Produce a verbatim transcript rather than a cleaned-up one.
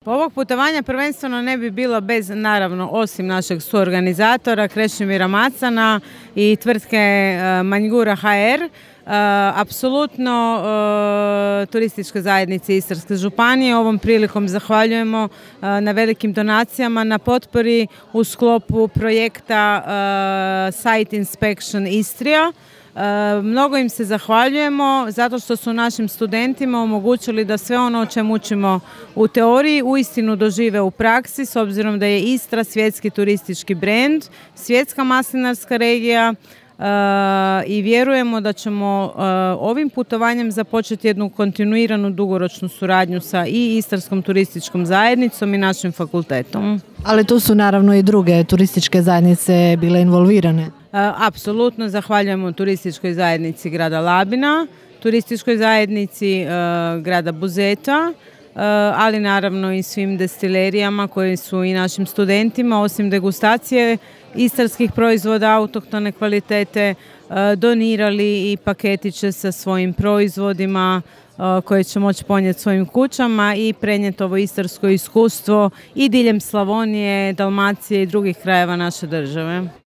Ovog putovanja prvenstveno ne bi bilo bez, naravno, osim našeg suorganizatora Krešimira Macana i tvrtke Manjgura ha er, apsolutno turističke zajednice Istarske županije. Ovom prilikom zahvaljujemo na velikim donacijama, na potpori u sklopu projekta Site Inspection Istria. Mnogo im se zahvaljujemo zato što su našim studentima omogućili da sve ono o čemu učimo u teoriji uistinu dožive u praksi, s obzirom da je Istra svjetski turistički brend, svjetska maslinarska regija, i vjerujemo da ćemo ovim putovanjem započeti jednu kontinuiranu dugoročnu suradnju sa i Istarskom turističkom zajednicom i našim fakultetom. Ali tu su naravno i druge turističke zajednice bile involvirane. Apsolutno zahvaljujemo turističkoj zajednici grada Labina, turističkoj zajednici grada Buzeta, ali naravno i svim destilerijama koji su i našim studentima, osim degustacije istarskih proizvoda autohtone kvalitete, donirali i paketiće sa svojim proizvodima koje će moći ponijeti svojim kućama i prenijeti ovo istarsko iskustvo i diljem Slavonije, Dalmacije i drugih krajeva naše države.